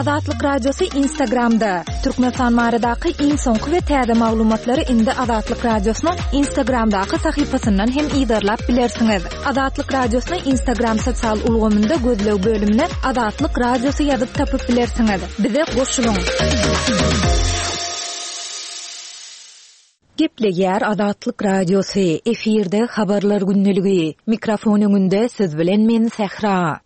Azatlyk Radiosy Instagramda, Türkmenistan baradaky iň soňky we täze maglumatlary indi Azatlyk Radiosynyň Instagramdaky sahypasyndan hem yzarlap bilersiňiz. Azatlyk Radiosyny Instagram sosial ulgamynda gözleg bölümine Azatlyk Radiosy ýazyp tapyp bilersiňiz. Bize goşulyň! Gepleýär Azatlyk Radiosy, efirde Habarlar gündeligi. Mikrofon öňünde siz bilen men Sähra.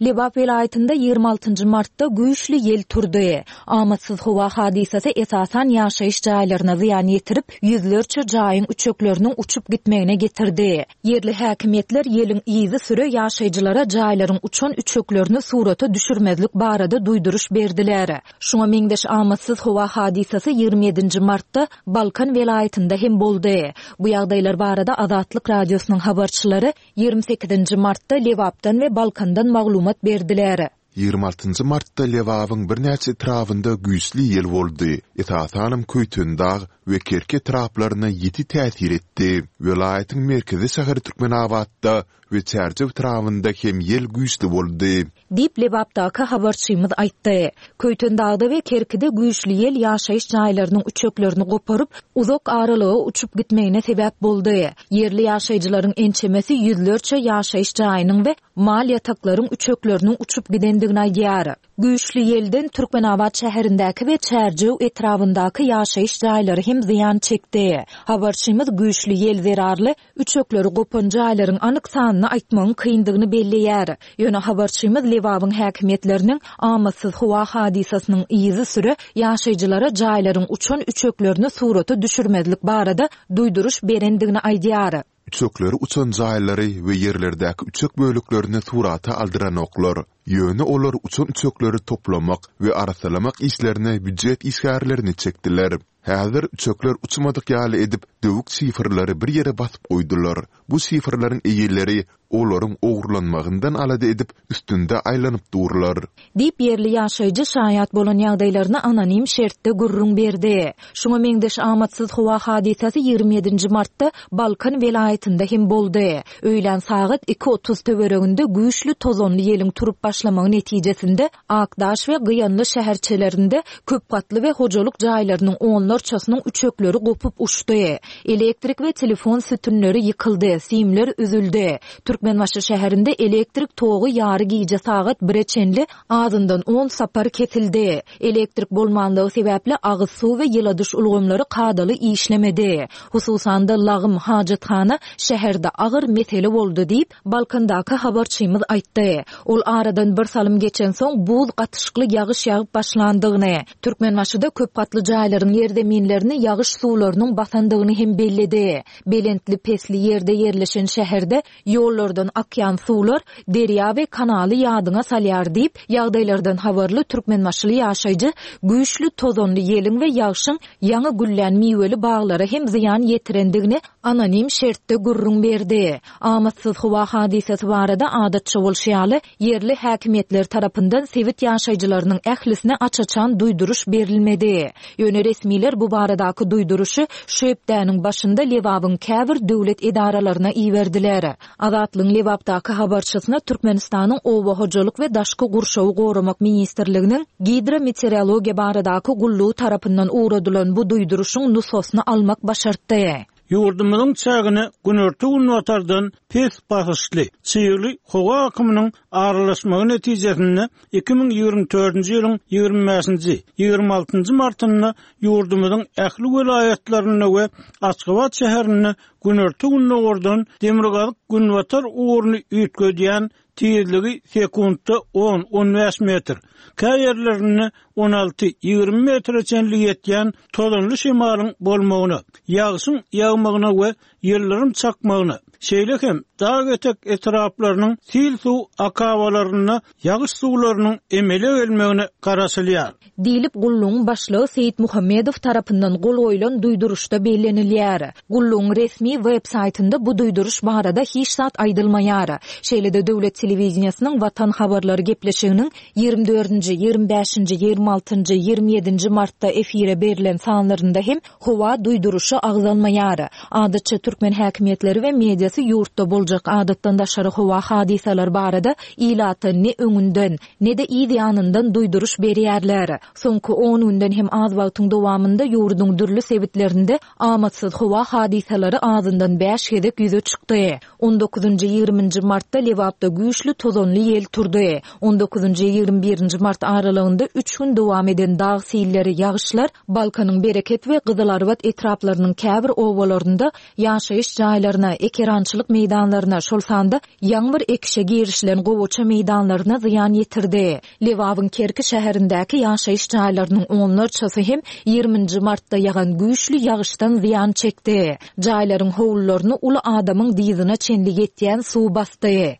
Lebap welaýatynda 26 nji martda güýçli ýel turdy. Amatsyz howa hadysasy esasan ýaşaýyş jaýlaryna zyýan ýetirip, ýüzlerçe jaýyň üçekleriniň uçup gitmegine getirdi. Ýerli häkimiýetler ýeliň yzysüre ýaşaýjylara jaýlaryň uçan üçeklerini surata düşürmezlik barada duýduryş berdiler. Şuňa meňzeş amatsyz howa hadysasy 27 nji martda Balkan welaýatynda hem boldy. Bu ýagdaýlar barada Azatlyk Radiosynyň habarçylary 28 nji martda Lebapdan we Balkandan maglumat berdiler. 26 njy martda Lebabyň birnäçe etrabynda güýçli ýel boldy, esasanam Köýtendag we Kerki etraplaryna ýiti täsir etdi. Welaýatyň merkezi şäheri Türkmenabatda we Çärjew etrabynda hem ýel güýçli boldy. Diýip, Lebapdaky habarçymyz aýtdy. Köýtendagda we Kerkide güýçli ýel ýaşaýyş jaýlarynyň üçeklerini goparyp, uzak aralyga uçup gitmegine sebäp boldy. Ýerli ýaşaýjylaryň ençemesi ýüzlerçe ýaşaýyş jaýynyň we mal ýataklaryň üçekleriniň uçup gidendigini aýdýar. Güýçli ýelden Türkmenabat şäherindäki we Çärjew etrabyndaky ýaşaýyş jaýlary hem zyýan çekdi. Habarçymyz güýçli ýel zerarly Üçekleri gopan jaýlaryň anyk sanyny aýtmagyň kyndygyny belleýär. Ýöne habarçymyz Lebabyň häkimiýetleriniň amatsyz howa hadysasynyň yzysüre ýaşaýjylara jaýlaryň uçan üçeklerini surata düşürmezlik barada duýduryş berendigini aýdýar. Üçekleri uçan jaýlary we ýerlerdäki üçek böleklerini surata aldyranoklar. Ýöne olar uçan üçekleri toplamak we arassalamak işlerine býujet işgärlerini çekdiler. Häzir üçekler uçmadyk ýaly edip, döwük şifrleri bir ýere basyp goýdular. Bu şifrleriň eýeleri olaryň ogurlanmagyndan alada edip, üstünde aýlanyp durlar. Diýip, ýerli ýaşaýjy şaýat bolan ýagdaýlaryny anonim şertde gürrüň berdi. Şuňa meňzeş amatsyz howa hadysasy 27 nji martda Balkan welaýatynda hem boldy. Öýlän sagat 2:30 töwereginde güýçli tozanly ýeliň turup başlamagy netijesinde Akdaş we Gyýanly şäherçelerinde köp gatly we hojalyk jaýlarynyň onlarçasynyň üçekleri gopup uçdy. Elektrik we telefon sütünleri ýykyldy, simler üzüldi. Türkmenbaşy şäherinde elektrik togy ýary gije sagat bire çenli azyndan on sapar kesildi. Elektrik bolmanlygy sebäpli agyz suw we ýyladyş ulgamlary kadaly işlemedi. Hususan-da, lagym, hajathana şäherde agyr mesele boldy diýip, Balkandaky habarçymyz aýtdy. Ol aradan bir salym geçensoň buz gatyşykly ýagyş ýagyp başlandygyny, Türkmenbaşyda köp gatly jaýlaryň ýerzeminlerini ýagyş suwlarynyň basandygyny hem belledi. Belentli-pesli ýerde ýerleşen şäherde ýollardan akýan suwlar derýa we kanaly ýadyňa salýar diýip, ýagdaýlardan habarly türkmenbaşyly ýaşaýjy güýçli tozanly ýeliň we ýagşyň ýaňy güllän miweli baglara hem zyýan ýetirendigini anonim şertde gürrüň berdi. Amatsyz howa hadysasy barada adatça bolşy ýaly, ýerli häkimiýetler tarapyndan sebit ýaşaýjylarynyň ählisine aç-açan duýduryş berilmedi. Ýöne resmiler bu baradaky duýduryşy şu hepdäniň başynda Lebabyň käbir döwlet edaralaryna iberdiler. Azatlygyň Lebapdaky habarçysyna Türkmenistanyň Oba hojalyk we daşky gurşawy goramak ministrliginiň Gidrometeorologiýa baradaky gullugy tarapyndan ugradylan bu duýduryşyň nusgasyny almak başartdy. Ýurdumyzyň çägine günorta-günbatardan pes basyşly, çygly howa akymynyň aralaşmagy netijesinde 2024-nji ýylyň 25-nji, 26-njy martynda ýurdumyzyň ähli welaýatlarynda we Aşgabat şäherinde günorta-gündogardan demirgazyk-günbatar ugruny üýtgedýän tizligi sekuntda on, on bäş metr, kä ýerlerinde on alty, 20 metre çenli ýetýän tozanly şemalyň bolmagyna, ýagşyň ýagmagyna we ýyldyrym çakmagyna, şeýle hem dag etek etraplarynyň sil suw akabalarynda ýagyş suwlarynyň emele gelmegine garaşylýar. Diýlip, gullugyň başlygy Seýitmuhammedow tarapyndan gol goýlan duýduryşda bellenilýär. Gullugyň resmi web saýtynda bu duýduryş barada hiç zat aýdylmaýar. Şeýle-de döwlet telewideniýesiniň Watan habarlary gepleşiginiň 24-nji, 25-nji, 26-njy, 27-nji martda efire berlen sanlarynda hem howa duýduryşy agzalmaýar. Adatça türkmen häkimiýetleri we mediasy. meteorologiýasy ýurtda boljak adatdan daşary howa hadysalary barada ilata ne öňünden, ne-de yz ýanyndan duýduryş berýärler. Soňky on günden hem az wagtyň dowamynda ýurduň dürli sebitlerinde amatsyz howa hadysalary azyndan bäş gezek ýüze çykdy. On dokuzynjy, ýigriminji martda Lebapda güýçli tozanly ýel turdy. On dokuzynjy, 21 nji mart aralygynda üç gün dowam eden dag silleri, ýagyşlar Balkanyň Bereket we Gyzylarbat etraplarynyň käbir obalarynda ýaşaýyş jaýlaryna, ekerançylyk meýdanlaryna, şol sanda ýaňy bir ekişe girişilen gowaça meýdanlaryna zyýan ýetirdi. Lebabyň Kerki şäherindäki ýaşaýyş jaýlarynyň onlarçasy hem 20 nji martda ýagan güýçli ýagyşdan zyýan çekdi. Jaýlaryň howlularyny uly adamyň dyzyna çenli ýetýän suw basdy.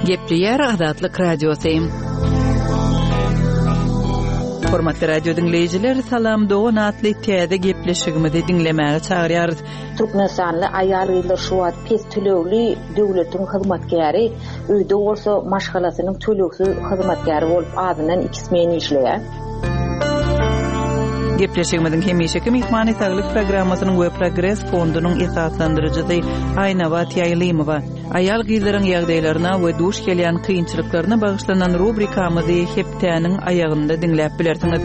Gepleýär Azatlyk Radiosy. Hormatly radio diňleýjiler, Salam dogan atly täze gepleşigimizi diňlemäge çagyrýarys. Türkmenistanly aýal-gyzlar şu wagt pes tölegli döwletiň hyzmatkäri, öýde bolsa maşgalasynyň tölegsiz hyzmatkäri bolup azyndan iki smen işleýär. Gepleşigimiziň hemişeki myhmany Saglyk programmasynyň we Progres fondunyň esaslandyryjysy Aýnabat Ýaýlymowa. Aýal-gyzlaryň ýagdaýlaryna we duş gelýän kynçylyklaryna bagyşlanan rubrikamyzy hepdäniň aýagynda diňläp bilersiňiz.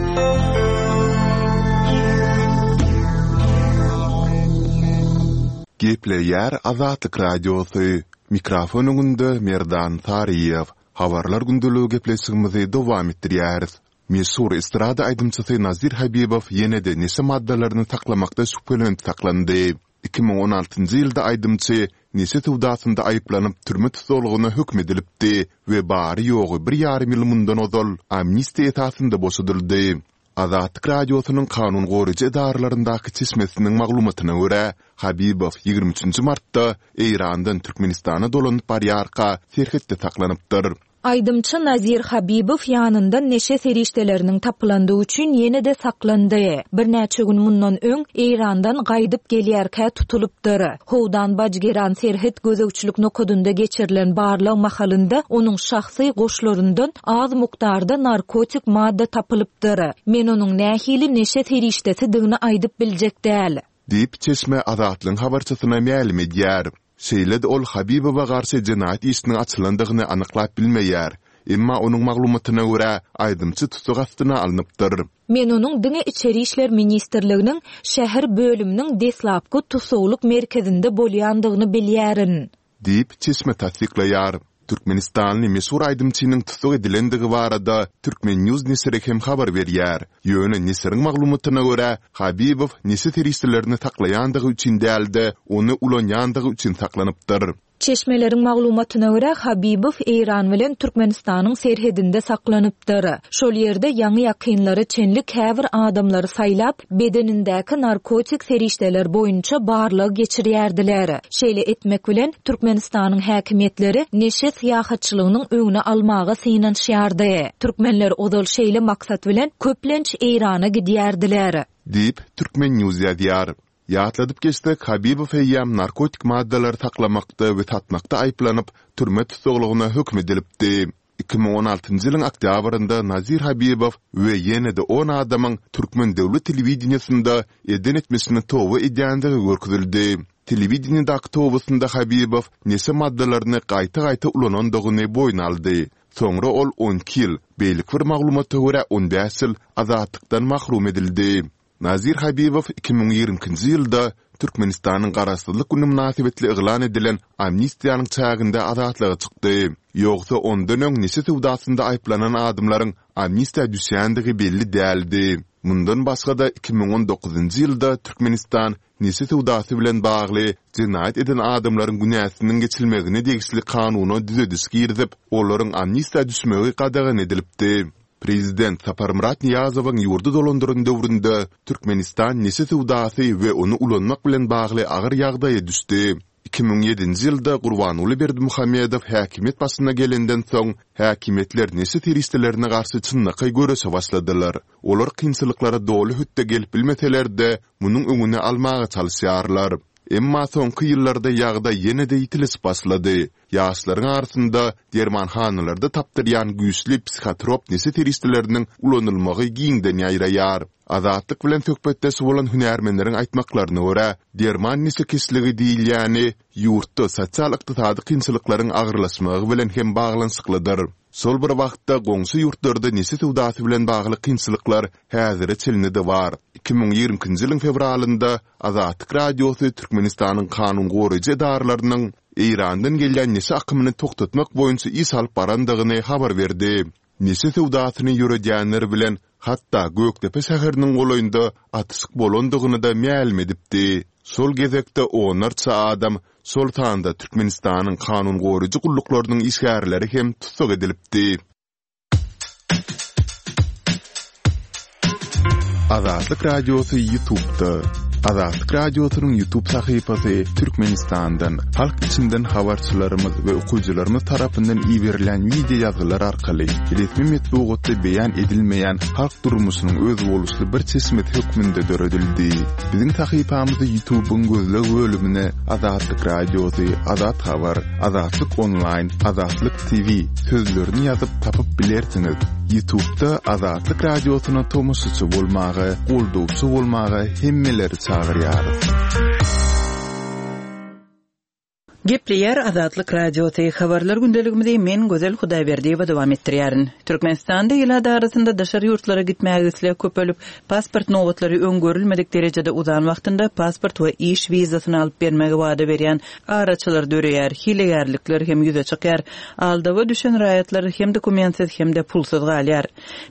Gepleýär Azatlyk Radiosy, Mikrofon öňünde Merdan Saryýew. Habarlar gündeligi gepleşigimizi dowam etdirýäris. Meşhur estrada aýdymçysy Nazir Habibow ýene-de neşe maddalaryny saklamakda şübhelenip saklandy. 2016-njy ýylda aýdymçy neşe söwdasynda aýyplanyp türme tussaglygyna höküm edilipdi we bary-ýogy bir ýarym ýyl mundan ozal amnistiýa esasynda boşadyldy. Azatlyk Radiosynyň kanun goraýjy edaralaryndaky çeşmesiniň maglumatyna görä, Habibow 23 nji martda Eýrandan Türkmenistana dolanyp barýarka serhetde saklanypdyr. Aýdymçy Nazir Habibow ýanyndan neşe serişdeleriniň tapylandygy üçin ýene-de saklandy. Birnäçe gün mundan öň Eýrandan gaýdyp gelýärkä tutulypdyr. Howdan-Bajgeran serhet gözegçilik nokadynda geçirilen barlag mahalynda onuň şahsy goşlaryndan az mukdarda narkotik madda tapylypdyr. Men onuň nähili neşe serişdesidigini aýdyp biljek däl. Diýip, çeşme Azatlygyň habarçysyna mälim edýär. Şeýle-de ol Habibowa garşy jenaýat işiniň açylandygyny anyklap bilmeýär. Emma onuň maglumatyna görä, aýdymçy tussag astyna alnypdyr. Men onuň diňe Içeri işler ministrliginiň şäher bölüminiň deslapky tussaglyk merkezinde bolýandygyny bilýärin. Diýip, çeşme tassyklaýar. Türkmenistanly meşhur aýdymçynyň tussag edilendigi barada Turkmen. News neşiri hem habar berýär. Ýöne neşiriň maglumatyna görä, Habibow neşe serişdelerini saklaýandygy üçin däl-de, ony ulanýandygy üçin saklanypdyr. Çeşmeleriň maglumatyna görä, Habibow Eýran bilen Türkmenistanyň serhedinde saklanypdyr. Şol ýerde ýaňy-ýakynlara çenli käbir adamlary saýlap, bedenindäki narkotik serişdeler boýunça barlag geçirýärdiler. Şeýle etmek bilen, Türkmenistanyň häkimiýetleri neşe syýahatçylygynyň öňüni almaga synanyşýardy. Türkmenler ozal şeýle maksat bilen köplenç Eýrana gidýärdiler. Diýip, Turkmen. News ýazýar. Ýatladyp geçsek, Habibow eýýäm narkotik maddalary saklamakda we satmakda aýyplanyp, türme tussaglygyna höküm edilipdi. 2016-njy ýylyň oktýabrynda Nazir Habibow we ýene-de on adamyň türkmen döwlet telewideniýesinde eden etmişine toba edýändigi görkezildi. Telewideniýedäki tobasynda Habibow neşe maddalaryny gaýta-gaýta ulanandygyny boýun aldy. Soňra ol 12 ýyl, beýleki bir maglumata görä 15 ýyl azatlykdan mahrum edildi. Nazir Habibow 2022-nji ýylda Türkmenistanyň Garaşsyzlyk güni mynasybetli yglan edilen amnistiýanyň çäginde azatlyga çykdy. Ýogsa ondan öň neşe söwdasynda aýyplanan adamlaryň amnistiýa düşýändigi belli däldi. Mundan başga-da 2019-njy ýylda Türkmenistan neşe söwdasy bilen bagly jenaýat eden adamlaryň günäsiniň geçilmegine degişli kanuna düzediş girizip, olaryň amnistiýa düşmegi gadagan edilipdi. Prezident Saparmyrat Nyýazowyň ýurdy dolandyran döwründe Türkmenistan neşe söwdasy we ony ulanmak bilen bagly agyr ýagdaýa düşdi. 2007-nji ýylda Gurbanguly Berdimuhamedow häkimiýet başyna gelenden soň, häkimiýetler neşe serişdelerine garşy çynlakaý göreşe başladylar. Olar kynçylyklara doly hötde gelip bilmeseler-de, munuň öňüni almaga çalyşýarlar. Emma soňky ýyllarda ýagdaý ýene-de ýitileşip başlady. Ýaşlaryň arasynda dermanhanalarda tapdyrýan güýçli psihotrop neşe serişdeleriniň ulanylmagy giňden ýaýraýar. Azatlyk bilen söhbetdeş bolan hünärmenleriň aýtmaklaryna görä, derman neşekeşligi diýilýäni ýurtda sosial-ykdysady kynçylyklaryň agyrlaşmagy bilen hem baglanyşyklydyr. Şol bir wagtda, goňşy ýurtlarda neşe söwdasy bilen bagly kynçylyklar häzire çenli-de bar. 2022-nji ýylyň fewralynda Azatlyk Radiosy Türkmenistanyň kanun goraýjy edaralarynyň Eýrandan gelýän neşe akymyny togtatmak boýunça iş alyp barandygyny habar berdi. Neşe söwdasyny ýöredýänler bilen hatda Gökdepe şäheriniň golaýynda atyşyk bolandygyny-da mälim edipdi. Şol gezekde onlarça adam, şol sanda Türkmenistanyň kanun goraýjy gulluklarynyň işgärleri hem tussag edilipdi. Azatlyk Radiosy YouTube'da. Azatlyk Radiosynyň YouTube sahypasy Türkmenistandan, halk içinden habarçylarymyz we okyjylarymyz tarapyndan iberilen wideo ýazgylar arkaly resmi metbugatda beýan edilmeýän halk durmuşynyň özboluşly bir çeşmesi hökmünde döredildi. Biziň sahypamyzy YouTube'yň gözleg bölümine Azatlyk Radiosy, Azat Habar, Azatlyk Onlaýn, Azatlyk TV sözlerini ýazyp tapyp bilersiňiz. Ýutubda Azatlyk Radiosyna tomaşaçy bolmaga, goldawçy bolmaga hemmeleri çagyrýarys. Gepleýär Azatlyk Radiosy, Habarlar gündeligimizi men Gözel Hudaýberdiýewa dowam etdirýärin. Türkmenistanda ilat arasynda daşary ýurtlara gitmäge isleg köpelip, pasport nobatlary öň görülmedik derejede uzan wagtynda pasport we iş wizasyny alyp bermegi wada berýän Araçylar döreýär, hilegärlikler hem ýüze çykýar. Aldawa düşen raýatlar hem dokumentsiz, hem-de pulsuz galýar.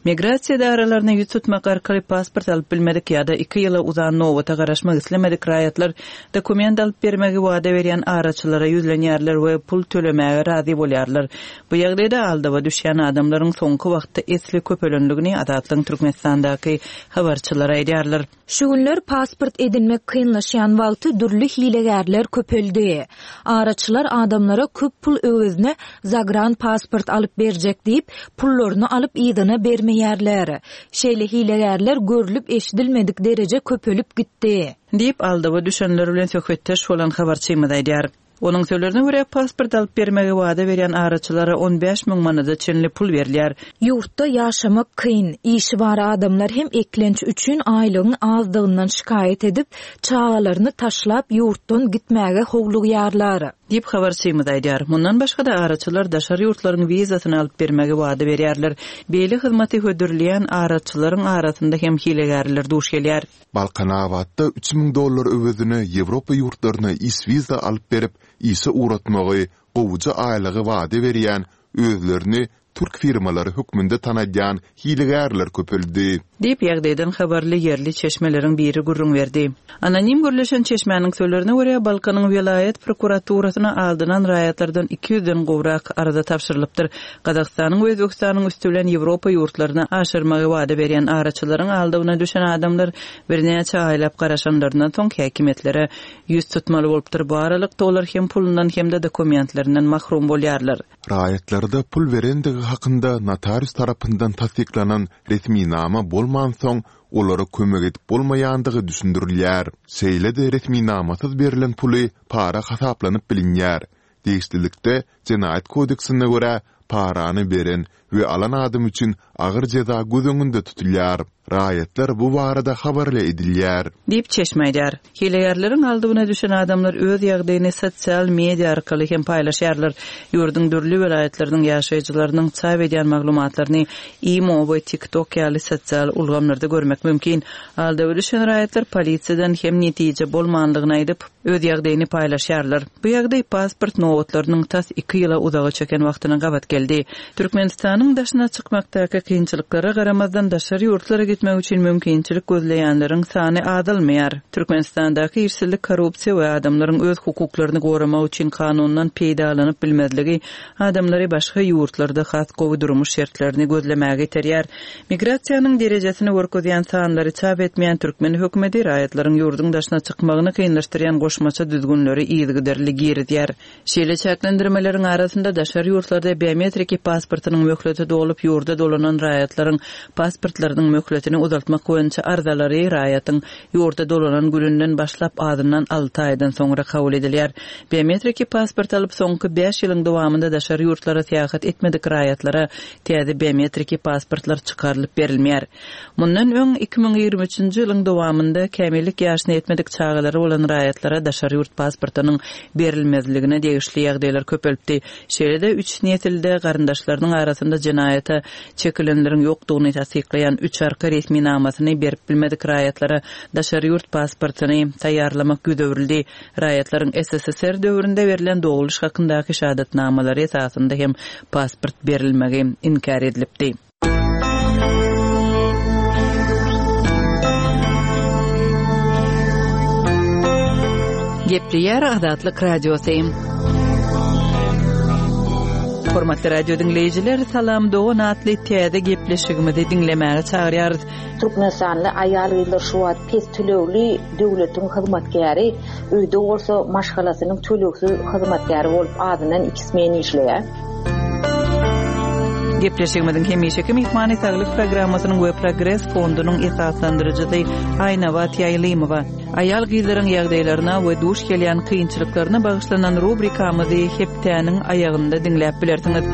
Migrasiýa edaralaryna ýüz tutmak arkaly pasport alyp bilmedik ýa-da iki ýyla uzan nobata garaşmak islemedik raýatlar dokument alyp bermegi wada berýän araçylara ýüzlenýärler we pul tölemäge razy bolýarlar. Bu ýagdaýda aldawa düşýän adamlaryň soňky wagtda esli köpelendigini Azatlygyň Türkmenistandaky habarçylary aýdýarlar. Şu günler pasport edinmek kynlaşýan wagty dürli hilegärler köpeldi. Araçylar adamlara köp pul öwezine zagran pasport alyp berjek diýip, pullaryny alyp yzyna bermeýärler. Şeýle hilegärler görlüp-eşidilmedik dereje köpelip gitdi. Diýip, aldawa düşenler bilen söhbetdeş bolan habarçymyz aýdýar. Onuň sözlerine görä, pasport alyp bermegi wada berýän araçylara 15 müň manada çenli pul berilýär. Ýurtda ýaşamak kyn, işi bar adamlar hem eklenç üçin aýlygyň azdygyndan şikaýat edip, çagalaryny taşlap ýurtdan gitmäge howlugýarlar. Diýip, habarçymyz aýdýar. Mundan başga-da, araçylar daşary ýurtlaryň wizasyny alyp bermegi wada berýärler. Beýle hyzmaty hödürleýän araçylaryň arasynda hem hilegärler duş gelýär. Balkanabatda 3000 dollar öwezine Ýewropa ýurtlaryna iş wiza alyp berip, işe ugratmagy, gowuja aýlygy wada berýän, özlerini türk firmalary hökmünde tanadýan hilegärler köpeldi. Diýip, ýagdaýdan habarly ýerli çeşmeleriň biri gürrüň berdi. Anonim gürleşen çeşmäniň sözlerine görä, Balkanyň welaýat prokuraturasyna aldanan raýatlardan iki ýüzden gowrak arza tabşyrylypdyr. Gazagystanyň we Özbegistanyň üsti bilen Ýewropa ýurtlaryna aşyrmagy wada berýän araçylaryň aldawyna düşen adamlar birnäçe aýlap garaşanlaryndan soň häkimiýetlere ýüz tutmaly bolupdyr. Bu aralykda olar hem pulundan hem-de dokumentlerinden mahrum bolýarlar. Raýatlarda pul berendigi hakynda notarius tarapyndan tassyklanan resminama bolmansoň, olara kömek edip bolmaýandygy düşündirilýär. Şeýle-de resminamasyz berlen puly para hasaplanyp bilinýär. Degişlilikde, Jenaýat kodeksine görä, parany beren we alan adam üçin agyr jeza göz öňünde tutulýar. Raýatlar bu barada habarly edilýär. Diýip, çeşme aýdýar. Hilegärleriň aldawyna düşen adamlar öz ýagdaýyny sosial media arkaly hem paýlaşýarlar. Ýurduň dürli welaýatlarynyň ýaşaýjylarynyň çap edýän maglumatlaryny imo we TikTok ýaly sosial ulgamlarda görmek mümkin. Aldawa düşen raýatlar polisiýadan hem netije bolmandygyny aýdyp, öz ýagdaýyny paýlaşýarlar. Bu ýagdaý pasport nobatlarynyň tas iki ýyla uzaga çeken wagtyna gabat geldi. Türkmenistanyň daşyna çykmakdaky kynçylyklara garamazdan, daşary ýurtlara gitmek üçin mümkinçilik gözleýänleriň sany azalmaýar. Türkmenistandaky işsizlik, korrupsiýa we adamlaryň öz hukuklaryny goramak üçin kanundan peýdalanyp bilmezligi adamlary başga ýurtlarda has gowy durmuş şertlerini gözlemäge iterýär. Migrasiýanyň derejesini görkezýän sanlary çap etmeýän türkmen hökümeti raýatlaryň ýurduň daşyna çykmagyny kynlaşdyrýan goşmaça düzgünleri yzygiderli girizýär. Şeýle çäklendirmeleriň arasynda daşary ýurtlarda biometriki pasportynyň möhleti dolup ýurda dolanan. dolanan raýatlaryň pasportlarynyň möhletini uzaltmak boýunça arzalary raýatyň ýurda dolanan gününden başlap azyndan alty aýdan soňra kabul edilýär. Biometriki pasport alyp, soňky bäş ýylyň dowamynda daşary ýurtlara syýahat etmedik raýatlara täze biometriki pasportlar çykarylyp berilmeýär. Mundan öň, 2023-nji ýylyň dowamynda kämillik ýaşyna ýetmedik çagalary bolan raýatlara daşary ýurt pasportynyň berilmezligine degişli ýagdaýlar köpelipdi. Şeýle-de, üç nesilde garyndaşlarynyň arasynda jenaýata çekilenleriň ýokdugyny tassyklaýan üç arka resminamasyny berip bilmedik raýatlara daşary ýurt pasportyny taýýarlamak ýüz öwrüldi. Raýatlaryň SSSR döwründe berlen dogluş hakyndaky şahadatnamalary esasynda hem pasport berilmegi inkär edilipdi. Gepleýär Azatlyk Radiosy. Hormatly radio diňleýjiler, Salam dogan atly täze gepleşigimizi diňlemäge çagyrýarys. Türkmenistanly aýal-gyzlar şu wagt pes tölegli döwletiň hyzmatkäri, öýde bolsa maşgalasynyň tölegsiz hyzmatkäri bolup azyndan iki smen işleýär. Gepleşigimiziň hemişeki myhmany Saglyk programmasynyň we Progres fondunyň esaslandyryjysy Aýnabat Ýaýlymowa. Aýal-gyzlaryň ýagdaýlaryna we duş gelýän kynçylyklaryna bagyşlanan rubrikamyzy hepdäniň aýagynda diňläp bilersiňiz.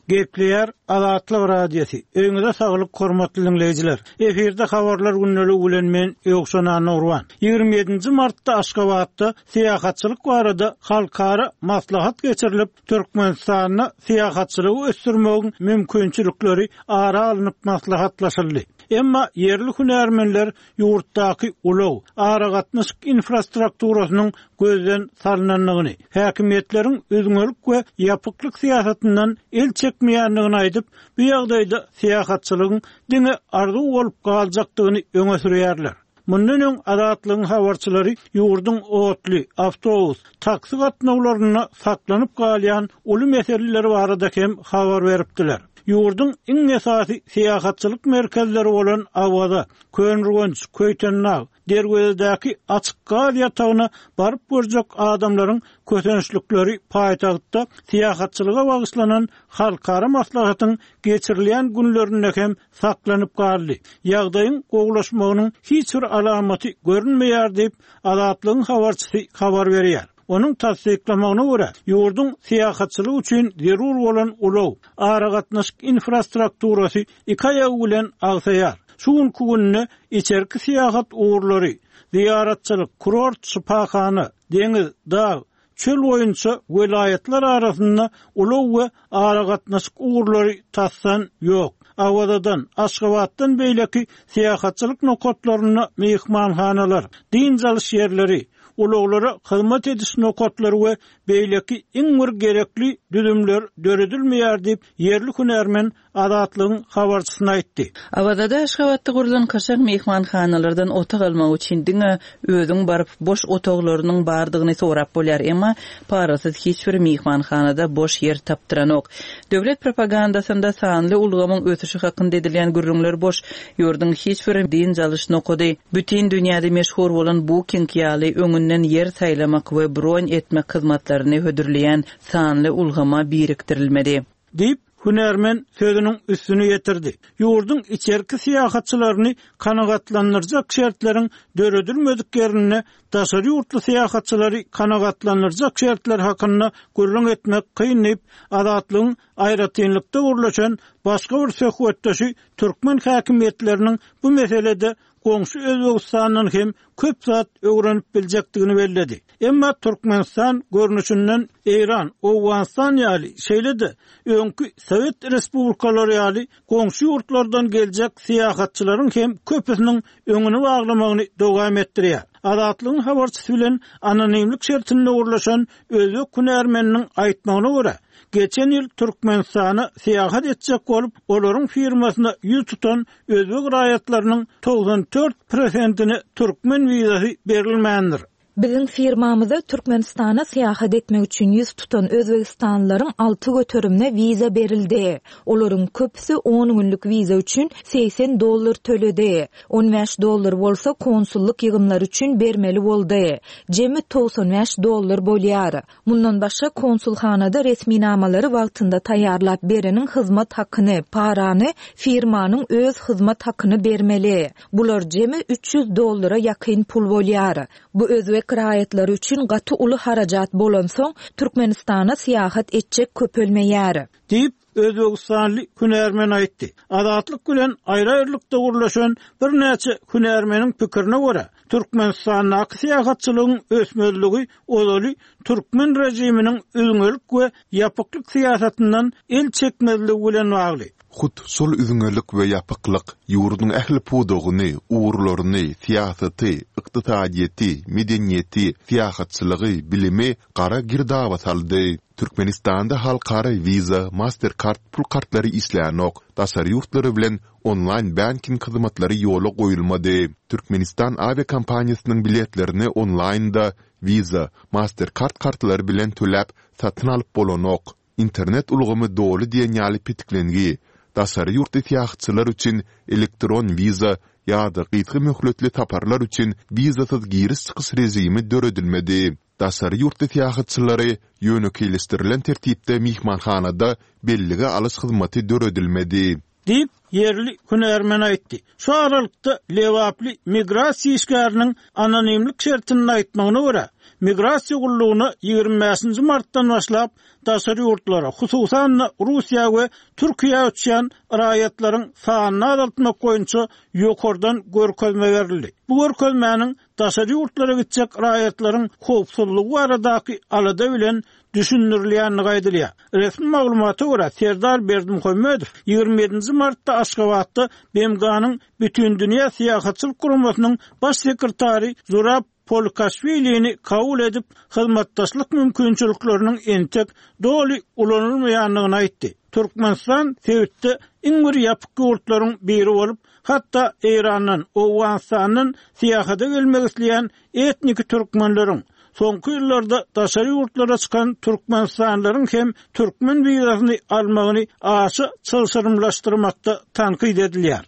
Gepleýär Azatlyk Radiosy. Öýüňize saglyk hormatly diňleýjiler. Efirde habarlar gündeligi bilen men Ýowşan Annagurban. 27-nji martda Aşgabatda syýahatçylyk barada halkara maslahat geçirilip, Türkmenistanda syýahatçylygy ösdürmegiň mümkinçilikleri ara alnyp maslahatlaşyldy. Emma ýerli hünärmenler ýurtdaky ulag, aragatnaşyk infrastrukturasynyň gözden salnandygyny, häkimiýetleriň üzňelik we ýapyklyk syýasatyndan el çekmeýändigini aýdyp, bu ýagdaýda syýahatçylygyň diňe arzuw bolup galjakdygyny öňe sürýärler. Mundan öň Azatlygyň habarçylary ýurduň otly, awtobus, taksi gatnawlarynda saklanyp galýan uly meseleler barada hem habar beripdiler. Ýurduň iň esasy syýahatçylyk merkezleri bolan Awaza, Köneürgenç, Köýtendag, Derwezedäki açyk gaz ýatagyna baryp görjek adamlaryň kösençlikleri paýtagtda syýahatçylyga bagyşlanan halkara maslahatyň geçirilýän günlerinde hem saklanyp galdy. Ýagdaýyň gowulaşmagynyň hiç bir alamaty görünmeýär diýip, Azatlygyň habarçysy habar berýär. Onuň tassyklamagyna görä, ýurduň syýahatçylyk üçin zerur bolan ulag, aragatnaşyk infrastrukturasy iki aýagy bilen agsaýar. Şu günki günde içerki syýahat ugurlary, zyýaratçylyk, kurort, şypahana, deňiz, dag, Çöl boýunça welaýatlar arasynda ulag we aragatnaşyk ugurlary tasdan ýok. Awazadan, Aşgabatdan beýleki syýahatçylyk nokatlarynda myhmanhanalar, dynç alyş ýerleri, ulaglara hyzmat ediş nokatlary we beýleki iň bir gerekli düzümler döredilmeýär diýip, ýerli hünärmen Azatlygyň habarçysyna aýtdy. Awazada Aşgabatda gurlan kaşaň myhmanhanalardan otag almak üçin diňe özüň baryp, boş otaglarynyň bardygyny sorap bolýar, emma parasyz hiç bir myhmanhanada boş ýer tapdyranok. Döwlet propagandasynda sanly ulgamyň ösüşi hakynda edilýän gürrüňler boş. Ýurduň hiç bir dynç alyş nokady, bütin dünýäde meşhur bolan Booking ýaly öňünden ýer saýlamak we bron etmek hyzmatlaryny hödürleýän sanly ulgama birikdirilmedi. Diýip, hünärmen sözüniň üstüni ýetirdi. Ýurduň içerki syýahatçylaryny kanagatlandyrjak şertleriň döredilmedik ýerinde daşary ýurtly syýahatçylary kanagatlandyrjak şertler hakynda gürrüň etmek kyn diýip, Azatlygyň aýratynlykda gürleşen başga bir söhbetdeşi türkmen häkimiýetleriniň bu meselede goňşy Özbegistandan hem köp zat öwrenip biljekdigini belledi. Emma Türkmenistan görnüşinden Eýran, Owganystan ýaly, şeýle-de öňki sowet respublikalary ýaly goňşy ýurtlardan geljek syýahatçylaryň hem köpüsiniň öňüni baglamagyny dowam etdirýär. Azatlygyň habarçysy bilen anonimlik şertinde gürleşen özbek hünärmeniniň aýtmagyna görä, geçen ýyl Türkmenistana syýahat etjek bolup, olaryň firmasyna ýüz tutan özbek raýatlarynyň 94 prosentine türkmen wizasy berilmändir. Biziň firmamyza Türkmenistana syýahat etmek üçin ýüz tutan özbegistanlylaryň 6 göterimine wiza berildi. Olaryň köpüsi on günlük wiza üçin 80 dollar töledi. 15 dollar bolsa konsullyk ýygymlary üçin bermeli boldy. Jemi 95 dollar bolýar. Mundan başga, konsulhanada resminamalary wagtynda taýýarlap bereniň hyzmat hakyny, parany, firmanyň öz hyzmat hakyny bermeli. Bular jemi 300 dollara ýakyn pul bolýar. Bu özbek raýatlary üçin gaty uly harajat bolansoň, Türkmenistana syýahat etjek köpelmeýär. Diýip, özbegistanly hünärmen aýtdy. Azatlyk bilen aýry-aýrylykda gürleşen birnäçe hünärmeniň pikirine görä, Türkmenistandaky syýahatçylygyň ösmezligi ozaly türkmen režiminiň üzňelik we ýapyklyk syýasatyndan el çekmezligi bilen bagly. Hut şol üzňelik we ýapyklyk ýurduň ähli pudagyny, ugurlaryny, syýasaty, ykdysadyýeti, medeniýeti, syýahatçylygy, bilimi gara girdaba saldy. Türkmenistanda halkara Visa, Mastercard pul kartlary işlänok, daşary ýurtlar bilen onlaýn banking hyzmatlary ýola goýulmady. Türkmenistan awiakompaniýasynyň biletlerini onlaýnda Visa, Mastercard kartlary bilen töläp, satyn alyp bolanok. Internet ulgamy doly diýen ýaly petiklengi. Daşary ýurtly syýahatçylar üçin elektron wiza ýa-da gysga möhletli saparlar üçin wizasyz giriş-çykyş režimi döredilmedi. Daşary ýurtly syýahatçylary ýönekeýleşdirilen tertipde myhmanhanada bellige alyş hyzmaty döredilmedi. Diýip, ýerli hünärmen aýtdy. Şu aralykda, lebaply migrasiýa işgäriniň anonimlik şertinde aýtmagyna görä, migrasiýa gullugyna 25 nji martdan başlap daşary ýurtlara, hususan-da, Russiýa we Türkiýä uçýan raýatlaryň sanyny azaltmak boýunça ýokardan görkezme berildi. Bu görkezmäniň daşary ýurtlara gitjek raýatlaryň howpsuzlygy baradaky alada bilen düşündirilýändigi aýdylýar. Resmi maglumata görä, Serdar Berdimuhamedow 27 nji martda Aşgabatda BMG-niň Bütindünýä syýahatçylyk guramasynyň Baş sekretary Zurab Polikaşwilini kabul edip, hyzmatdaşlyk mümkinçilikleriniň entek doly ulanylmaýandygyny aýtdy. Türkmenistan sebitde iň bir ýapyk ýurtlaryň biri bolup, hatda Eýrandan, Owganystandan syýahata gelmek isleýän etniki türkmenleriň, soňky ýyllarda daşary ýurtlara çykan türkmenistanlylaryň hem türkmen wizasyny almagyny aşa çylşyrymlaşdyrmakda tankyt edilýär.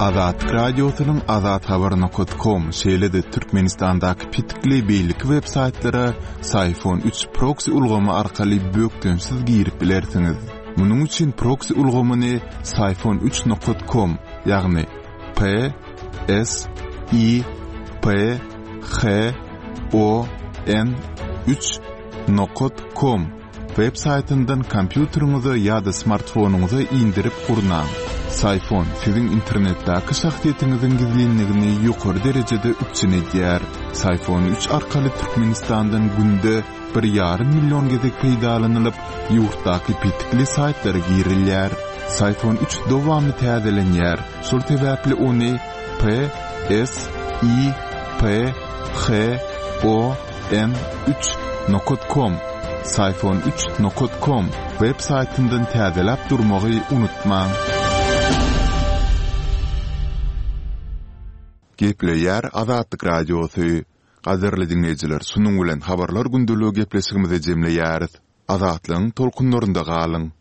Azatlyk Radiosynyň Azathabar nokat kom, şeýle-de Türkmenistandaky petikli beýleki web saýtlara Syfon 3 proksi ulgamy arkaly bökdençsiz girip bilersiňiz. Munuň üçin proksi ulgamyny Syfon 3 nokat kom, ýagny P S I P H O N 3 nokat kom Web saýtyndan kompýuteriňize ýa-da smartfonyňyza indirip gurnaň. Syfon siziň internetdäki şahsyýetiňiziň gizlinligini ýokary derejede üpjün edýär. Syfon 3 arkaly Türkmenistandan günde bir ýarym million gezek peýdalanylyp, ýurtdaky petikli saýtlara girilýär. Syfon 3 dowamly täzelenýär, şol sebäpli ony P S I P H O N 3 nokat kom Syfon 3 nokat kom web saýtyndan täzeläp durmagy unutmaň. Gepleýär Azatlyk Radiosy. Gadyrly diňleýjiler şunuň bilen Habarlar gündeligi gepleşigimizi jemleýäris. Azatlygyň tolkunlarynda galyň!